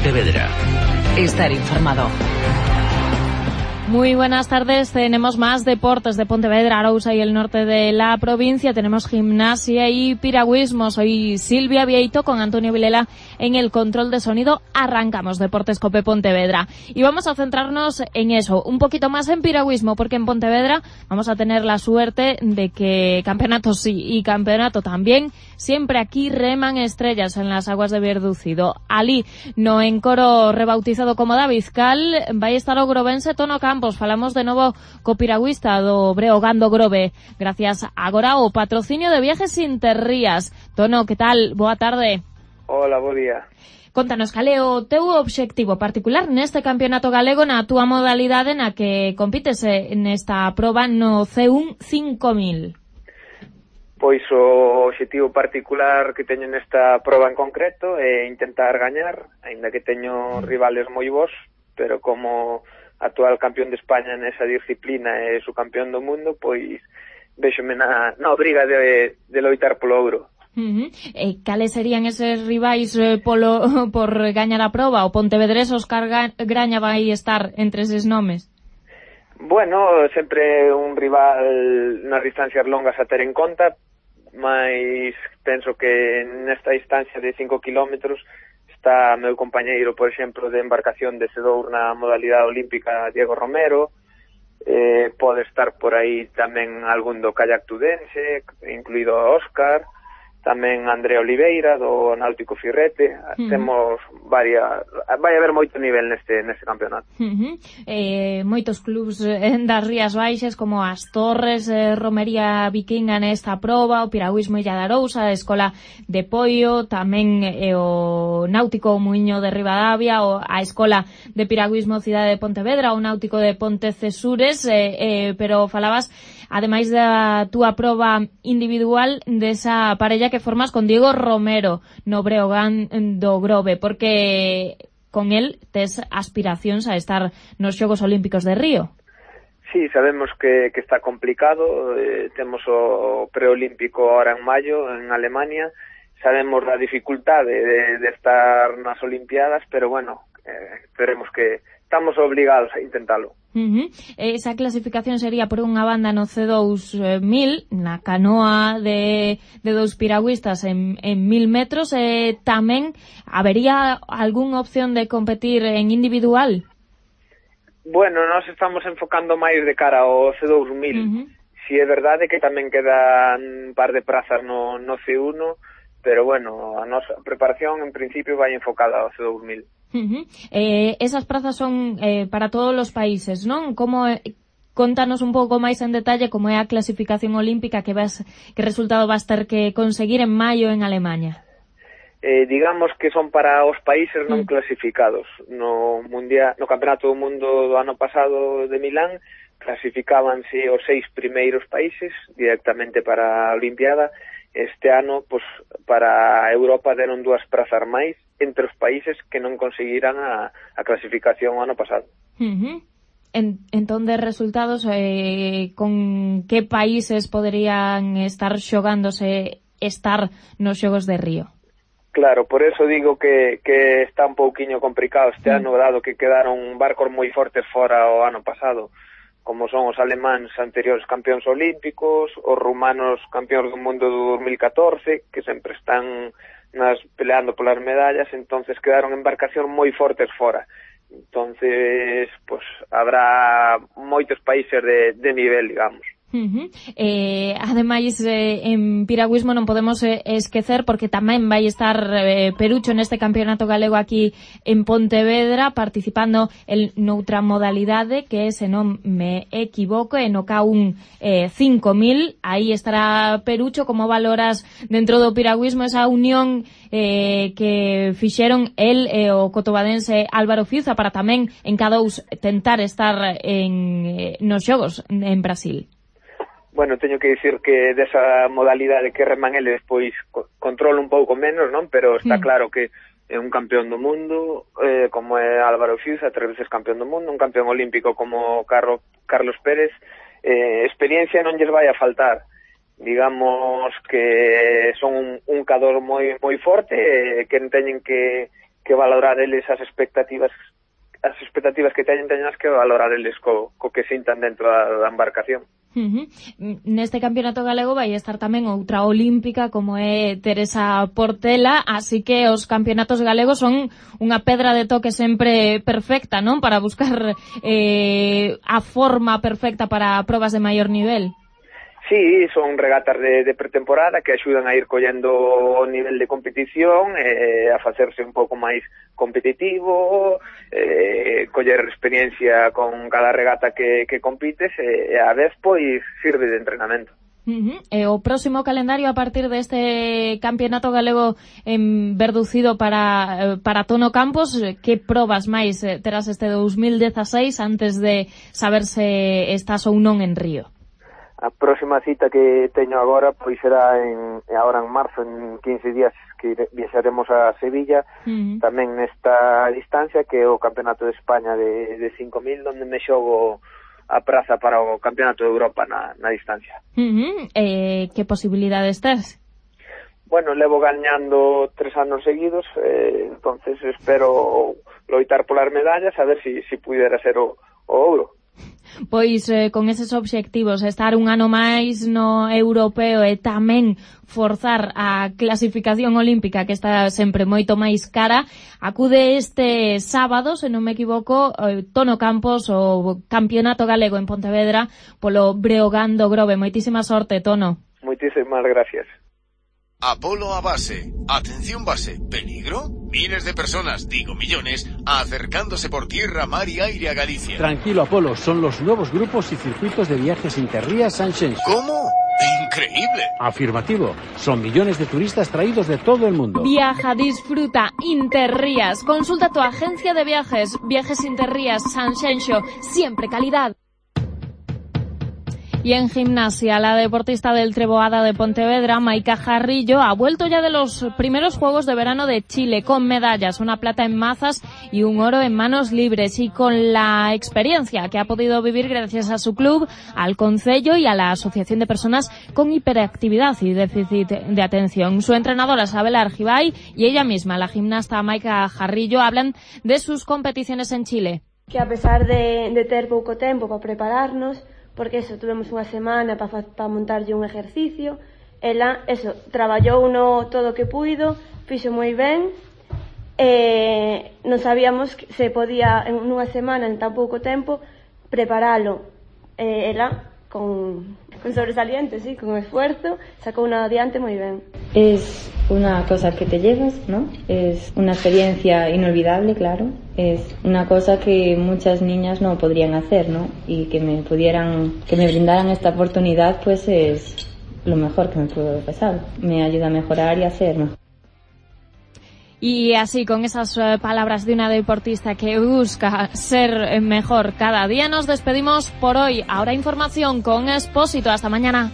Pontevedra. Estar informado. Muy buenas tardes, tenemos más deportes de Pontevedra, Arousa y el norte de la provincia. Tenemos gimnasia y piragüismo. Soy Silvia Vieito con Antonio Vilela en el control de sonido. Arrancamos Deportes Cope Pontevedra y vamos a centrarnos en eso, un poquito más en piragüismo, porque en Pontevedra vamos a tener la suerte de que campeonato sí y campeonato también. Siempre aquí reman estrellas en las aguas de Verducido. Alí no encoro rebautizado como David Cal, vai estar o grovense Tono Campos. Falamos de novo co piragüista do Breogán do Grove, gracias agora ao patrocinio de Viajes Interrías. Tono, que tal? Boa tarde. Hola, bo día. Contanos, cal é o teu obxectivo particular neste campeonato galego na túa modalidade na que compites nesta proba no C1 5000? Pois o obxectivo particular que teño nesta proba en concreto é intentar gañar, aínda que teño rivales moi bons, pero como actual campeón de España nesa disciplina e subcampeón do mundo, pois véxome na obriga de loitar polo ouro. Cales serían eses rivais por gañar a proba? O Pontevedrés Óscar Graña vai estar entre eses nomes? Bueno, sempre un rival nas distancias longas a ter en conta, mas penso que nesta distancia de 5 kilómetros está meu compañeiro, por exemplo, de embarcación de Sedor na modalidade olímpica, Diego Romero. Pode estar por aí tamén algún do kayak tudense, incluído Óscar, tamén André Oliveira do Náutico Firrete. Temos varias, vai haber moito nivel neste campeonato. Moitos clubs das Rías Baixas como as Torres, Romería Vikinga nesta proba, o Piragüismo Illa de Arousa, a Escola de Poio, tamén o Náutico Muiño de Ribadavia, a Escola de Piragüismo Cidade de Pontevedra, o Náutico de Pontecesures, pero falabas ademais da túa proba individual desa parella que formas con Diego Romero no Breogán do Grove, porque con él tes aspiracións a estar nos Xogos Olímpicos de Río. Sí, sabemos que está complicado, temos o preolímpico ahora en maio en Alemania, sabemos da dificultade de estar nas Olimpiadas, pero bueno, esperemos que estamos obligados a intentalo. Esa clasificación sería por unha banda no C2000, na canoa de dous piragüistas en 1000 metros. Tamén habería algunha opción de competir en individual? Bueno, nós estamos enfocando máis de cara ao C2000. Si é verdade que tamén quedan un par de prazas no C1, pero bueno, a nosa preparación en principio vai enfocada ao C2000. Esas prazas son para todos os países, non? Contanos un pouco máis en detalle como é a clasificación olímpica que resultado vas ter que conseguir en maio en Alemania. Digamos que son para os países non clasificados. No Campeonato do Mundo do ano pasado de Milán clasificábanse os 6 primeiros países directamente para a Olimpiada. Este ano, pues, para Europa deron 2 prazas máis entre os países que non conseguiran a clasificación ano pasado. Entón, de resultados, con que países poderían estar xogándose estar nos Xogos de Río? Claro, por eso digo que está un pouquiño complicado este ano, dado que quedaron barcos moi fortes fora o ano pasado, como son os alemáns anteriores campeóns olímpicos, os rumanos campeóns do mundo do 2014, que sempre están peleando polas medallas, entonces quedaron embarcacións moi fortes fora. Entonces, pues, habrá moitos países de nivel, digamos. Ademais, en piragüismo non podemos esquecer, porque tamén vai estar Perucho neste campeonato galego aquí en Pontevedra, participando noutra modalidade que, se non me equivoco, no K1 5000. Aí estará Perucho. Como valoras dentro do piragüismo esa unión que fixeron el e o cotobadense Álvaro Fiuza para tamén en K2 tentar estar nos Xogos en Brasil? Bueno, teño que dicir que desa modalidade que reman eles, pois controlo un pouco menos, non? Pero está claro que é un campeón do mundo, como é Álvaro Fiuza, 3 veces campeón do mundo, un campeón olímpico como Carlos Pérez. Experiencia non lles vai a faltar. Digamos que son un cador moi forte, que teñen que valorar eles as expectativas que teñen que valorar eles co que sintan dentro da embarcación. Neste campeonato galego vai estar tamén outra olímpica como é Teresa Portela, así que os campeonatos galegos son unha pedra de toque sempre perfecta, non? Para buscar a forma perfecta para probas de maior nivel. Sí, son regatas de pretemporada que axudan a ir collendo o nivel de competición, a facerse un pouco máis competitivo, coller experiencia con cada regata que compites, e a vez pois sirve de entrenamento. O próximo calendario a partir deste campeonato galego verducido para Tono Campos, que probas máis terás este 2016 antes de saber se estás ou non en Río? A próxima cita que teño agora pois será agora en marzo, en 15 días que viaxaremos a Sevilla, tamén nesta distancia que é o Campeonato de España de 5.000, onde me xogo a praza para o Campeonato de Europa na distancia. Que posibilidades tes? Bueno, levo gañando 3 anos seguidos, entonces espero loitar polas medallas, a ver si pudera ser o ouro. Pois con eses obxectivos, estar un ano máis no europeo e tamén forzar a clasificación olímpica, que está sempre moito máis cara, acude este sábado, se non me equivoco, Tono Campos, o Campeonato Galego en Pontevedra, polo Breogán do Grove. Moitísima sorte, Tono. Moitísimas gracias. Apolo a base. Atención base. ¿Peligro? Miles de personas, digo millones, acercándose por tierra, mar y aire a Galicia. Tranquilo, Apolo. Son los nuevos grupos y circuitos de viajes Interrías Sanxenxo. ¿Cómo? ¡Increíble! Afirmativo. Son millones de turistas traídos de todo el mundo. Viaja, disfruta, Interrías. Consulta tu agencia de viajes. Viajes Interrías Sanxenxo. Siempre calidad. Y en gimnasia, la deportista del Treboada de Pontevedra, Maika Jarrillo, ha vuelto ya de los primeros Juegos de Verano de Chile con medallas, una plata en mazas y un oro en manos libres, y con la experiencia que ha podido vivir gracias a su club, al concello y a la Asociación de Personas con Hiperactividad y Déficit de Atención. Su entrenadora, Sabela Argibay, y ella misma, la gimnasta Maika Jarrillo, hablan de sus competiciones en Chile. Que a pesar de ter pouco tempo para prepararnos, porque eso, tuvemos unha semana para montarlle un exercicio, ela, eso, traballou no todo o que puido, fixo moi ben, non sabíamos que se podía en unha semana, en tan pouco tempo, preparalo. Ela, con sobresaliente, sí, con esfuerzo, sacou unha adiante moi ben. Es una cosa que te llevas, ¿no? Es una experiencia inolvidable, claro. Es una cosa que muchas niñas no podrían hacer, ¿no? Y que me brindaran esta oportunidad, pues es lo mejor que me pudo haber pasado. Me ayuda a mejorar y a ser mejor. Y así, con esas palabras de una deportista que busca ser mejor cada día, nos despedimos por hoy. Ahora información con Expósito. Hasta mañana.